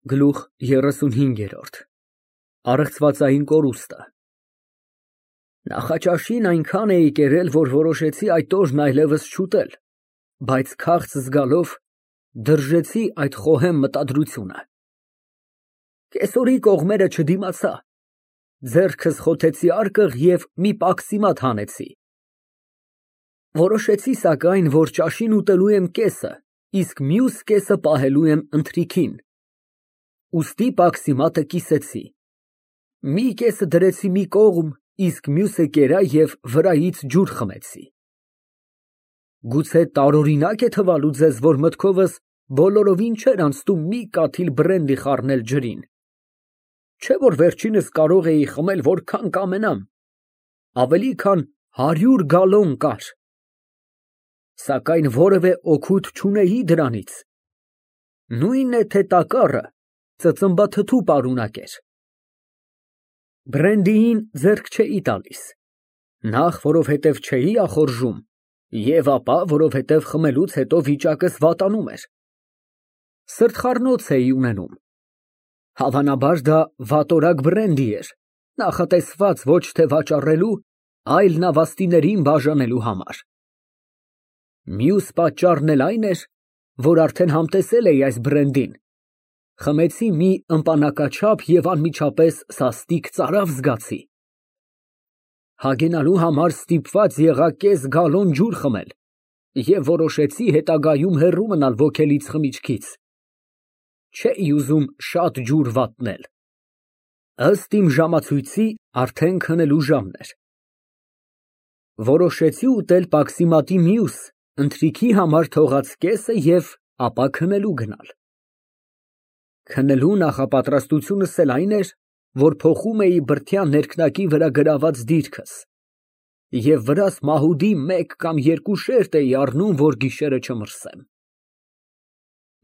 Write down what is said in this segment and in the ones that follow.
Գլուխ 35 Առեղծվածային կորուստը Նախաճաշին այնքան էի կերել, որ որոշեցի այդ օրն այլևս չուտել, բայց քաղց զգալով դրժեցի այդ խոհեմ մտադրությունը։ Կեսօրի կողմերը չդիմացա, ձեռքս խոթեցի արկղ և մի պաքսիմատ հանեցի։ Որոշեցի սակայն, որ ճաշին ուտելու եմ կեսը, իսկ մյուս կեսը պահելու եմ ընթրիքին, ուստի պաքսիմատը կիսեցի, մի կեսը դրեցի մի կողմ, իսկ մյուսը կերա և վրայից ջուր խմեցի։ Գուցե տարօրինակ է թվալու ձեզ, որ մտքովս բոլորովին չէր անցնում մի կաթիլ բրենդի խառնել ջրին, չէ՞ որ վերջինս կարող էի խմել որքան կամենամ, ավելի քան 100 գալոն կար, սակայն որևէ օգուտ չունեի դրանից, նույն է, թե տակառը ծծմբաթթու պարունակեր։ Բրենդիին ձեռք չէի տալիս, նախ որովհետև չէի ախորժում և ապա որովհետև խմելուց հետո վիճակս վատանում էր։ Սրտխառնոց էի ունենում, հավանաբար դա վատորակ բրենդի էր, նախատեսված ոչ թե վաճառելու, այլ նավաստիներին բաժանելու համար։ Մյուս պատճառն էլ այն էր, որ արդեն համտեսել էի այս բրենդին, խմեցի մի ըմպանակաչափ և անմիջապես սաստիկ ծարավ զգացի։ Հագենալու համար ստիպված եղա կես գալոն ջուր խմել և որոշեցի հետագայում հեռու մնալ ոգելից խմիչքից, չէի ուզում շատ ջուր վատնել։ Ըստ իմ ժամացույցի արդեն քնելու ժամն էր։ Որոշեցի ուտել պաքսիմատի մյուս, ընթրիքի համար թողած կեսը և ապա քնելու գնալ։ Քնելու նախապատրաստությունս էլ այն էր, որ փոխում էի բրդյա ներքնակի վրա գրաված դիրքս և վրաս մահուդի մեկ կամ երկու շերտ էի առնում, որ գիշերը չմրսեմ։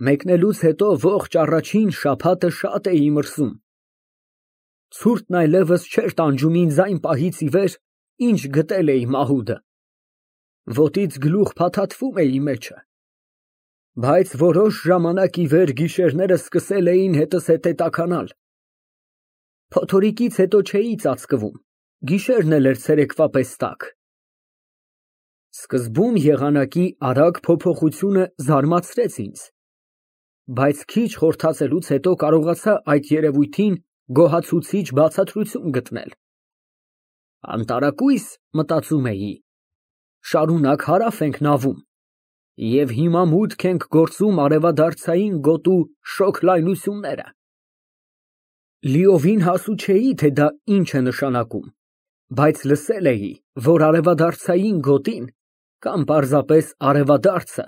Մեկնելուց հետո ողջ առաջին շաբաթը շատ էի մրսում, ցուրտն այլևս չէր տանջում ինձ այն պահից ի վեր, ինչ գտել էի մահուդը, ոտից գլուխ փաթաթվում էի մեջը, բայց որոշ ժամանակ ի վեր գիշերները սկսել էին հետզհետե տաքանալ, փոթորիկից հետո չէի ծածկվում, գիշերն էլ էր ցերեկվա պես տաք։ Սկզբում եղանակի արագ փոփոխությունը զարմացրեց ինձ, բայց քիչ խորհրդածելուց հետո կարողացա այդ երևույթին գոհացուցիչ բացատրություն գտնել։ Անտարակույս, մտածում էի, շարունակ հարավ ենք նավում և հիմա մուտք ենք գործում արևադարձային գոտու շոգ լայնությունները։ Լիովին հասու չէի, թե դա ինչ է նշանակում, բայց լսել էի, որ արևադարձային գոտին կամ պարզապես արևադարձը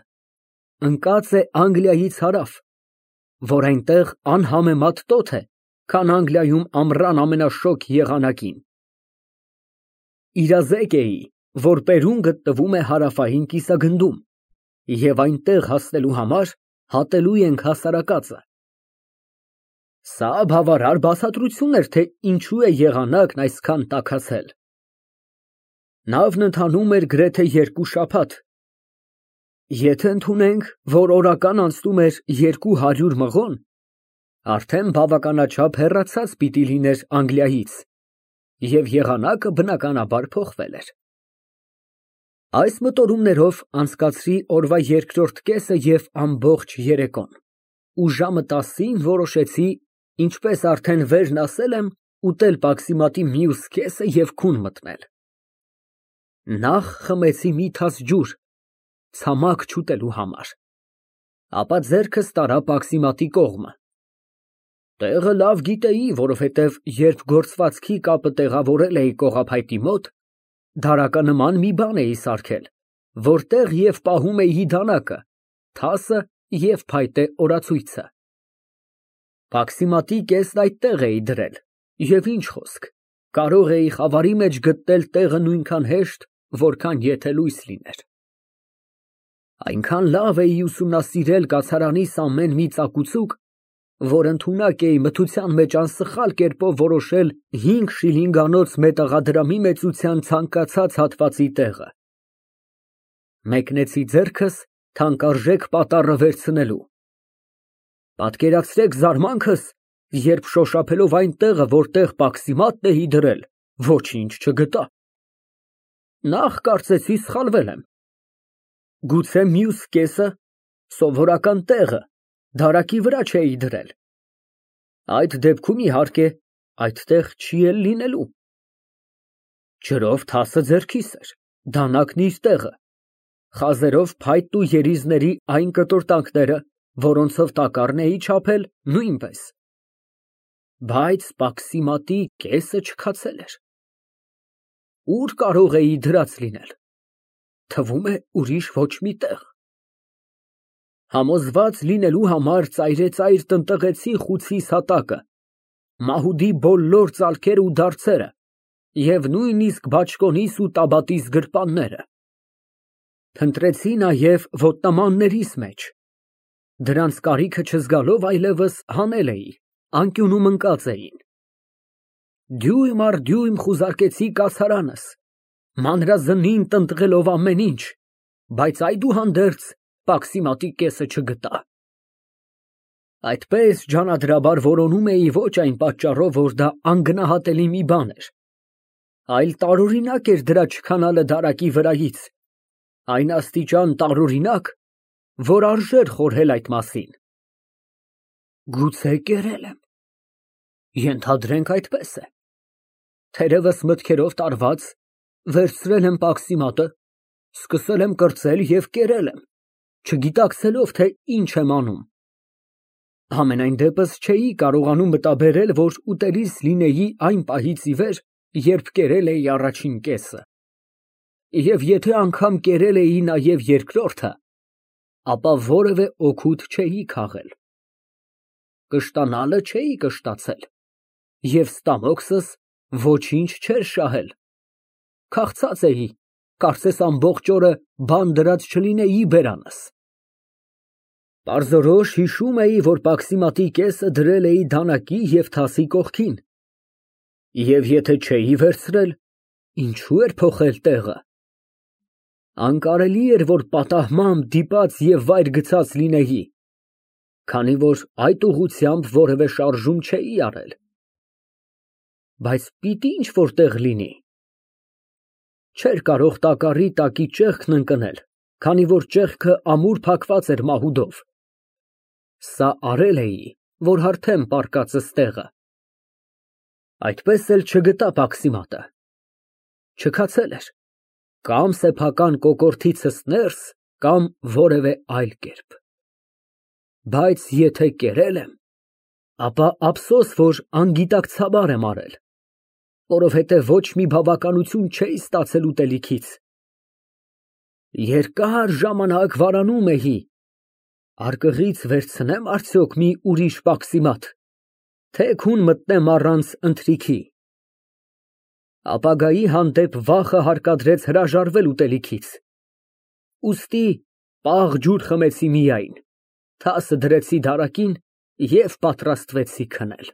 ընկած է Անգլիայից հարավ, որ այնտեղ անհամեմատ տոթ է, քան Անգլիայում ամռան ամենաշոգ եղանակին։ Իրազեկ էի, որ Պերուն գտնվում է հարավային կիսագնդում և այնտեղ հասնելու համար հատելու ենք հասարակածը։ Սա բավարար բացատրություն էր, թե ինչու է եղանակն այսքան տաքացել։ Նավն ընթանում էր գրեթե 2 շաբաթ, եթե ընդունենք, որ օրական անցնում էր 200 մղոն, արդեն բավականաչափ հեռացած պիտի լիներ Անգլիայից, և եղանակը բնականաբար փոխվել էր։ Այս մտորումներով անցկացրի օրվա երկրորդ կեսը և ամբողջ երեկոն, ու ժամը 10-ին որոշեցի, ինչպես արդեն վերն ասել եմ, ուտել պաքսիմատի մյուս կեսը և քուն մտնել։ Նախ խմեցի մի թաս ջուր, ցամաք չուտելու համար, ապա ձեռքս տարա պաքսիմատի կողմը։ Տեղը լավ գիտեի, որովհետև երբ գործվածքի կապը տեղավորել էի կողափայտի մոտ, դարականման մի բան էի սարքել, որտեղ և պահում էի դանակը, թասը և փայտե օրացույցը։ Պաքսիմատի կեսն այդտեղ էի դրել, և ինչ խոսք, կարող էի խավարի մեջ գտնել տեղը նույնքան հեշտ, որքան եթե լույս լիներ։ Այնքան լավ էի ուսումնասիրել կացարանիս ամեն մի ծակուցուկ, որ ընդունակ էի մթության մեջ անսխալ կերպով որոշել 5 շիլինգանոց մետաղադրամի մեծության ցանկացած հատվածի տեղը։ Մեկնեցի ձեռքս թանկարժեք պատառը վերցնելու, Պատկերացրեք զարմանքս, երբ շոշափելով այն տեղը, որտեղ Պաքսիմատն էի դրել, ոչինչ չգտա։ Նախ կարծեցի սխալվել եմ։ Գուցե մյուս կեսը, սովորական տեղը, դարակի վրա չէի դրել։ Այդ դեպքում, իհարկե, այդտեղ չի էլ լինելու։ Ջրով թասը ձեռքիս էր, դանակն իր տեղը, խազերով փայտն ու երիզների այն կտորտանքները, որոնցով տակառն էի չափել, նույնպես։ Բայց Պաքսիմատի կեսը չքացել էր։ Ուր կարող էի դրած լինել։ Թվում է ուրիշ ոչ մի տեղ։ Համոզված լինելու համար ծայրեցայր տնտղեցի խուցիս հատակը, մահուդի բոլոր ծալքերը ու դարձերը և նույնիսկ բաճկոնիս ու տաբատիս գրպանները։ Փնտրեցի նաև ոտնամաններիս մեջ։ Դրանց կարիքը չզգալով այլևս հանել էի, անկյունում ընկած էին։ Դյույմ առ դյույմ խուզարկեցի կացարանս, մանրազնին տնտղելով ամեն ինչ, բայց այդուհանդերձ Պաքսիմատի կեսը չգտա։ Այդպես ջանադրաբար որոնում էի ոչ այն պատճառով, որ դա անգնահատելի մի բան էր, այլ տարօրինակ էր դրա չքանալը դարակի վրայից, այն աստիճան տարօրինակ, որ արժեր խորհել այդ մասին։ Գուցե կերել եմ։ Ենթադրենք այդպես է։ Թերևս մտքերով տարված, վերցրել եմ Պաքսիմատը, սկսել եմ կրծել և կերել եմ, չգիտակցելով, թե ինչ եմ անում։ Համենայն դեպս չէի կարողանում մտաբերել, որ ուտելիս լինեի այն պահից ի վեր, երբ կերել էի առաջին կեսը։ Եվ եթե անգամ կերել էի նաև երկրորդը, ապա որևէ օգուտ չէի քաղել։ Կշտանալը չէի կշտացել, և ստամոքսս ոչինչ չէր շահել։ Քաղցած էի, կարծես ամբողջ օրը բան դրած չլինեի բերանս։ Պարզորոշ հիշում էի, որ Պաքսիմատի կեսը դրել էի դանակի և թասի կողքին, և եթե չէի վերցրել, ինչու էր փոխել տեղը։ Անկարելի էր, որ պատահմամբ դիպած և վայր գցած լինեի, քանի որ այդ ուղղությամբ որևէ շարժում չէի արել։ Բայց պիտի ինչ֊որ տեղ լինի։ Չէր կարող տակառի տակի ճեղքն ընկնել, քանի որ ճեղքը ամուր փակված էր մահուդով։ Սա արել էի, որ հարթեմ պառկածս տեղը։ Այդպես էլ չգտա Պաքսիմատը։ Չքացել էր, կամ սեփական կոկորդիցս ներս, կամ որևէ այլ կերպ։ Բայց եթե կերել եմ, ապա ափսոս, որ անգիտակցաբար եմ արել, որովհետև ոչ մի բավականություն չէի ստացել ուտելիքից։ Երկար ժամանակ վարանում էի,արկղից վերցնեմ արդյոք մի ուրիշ Պաքսիմատ, թե քուն մտնեմ առանց ընթրիքի։ Ապագայի հանդեպ վախը հարկադրեց հրաժարվել ուտելիքից, ուստի պաղ ջուր խմեցի միայն, թասը դրեցի դարակին և պատրաստվեցի քնել։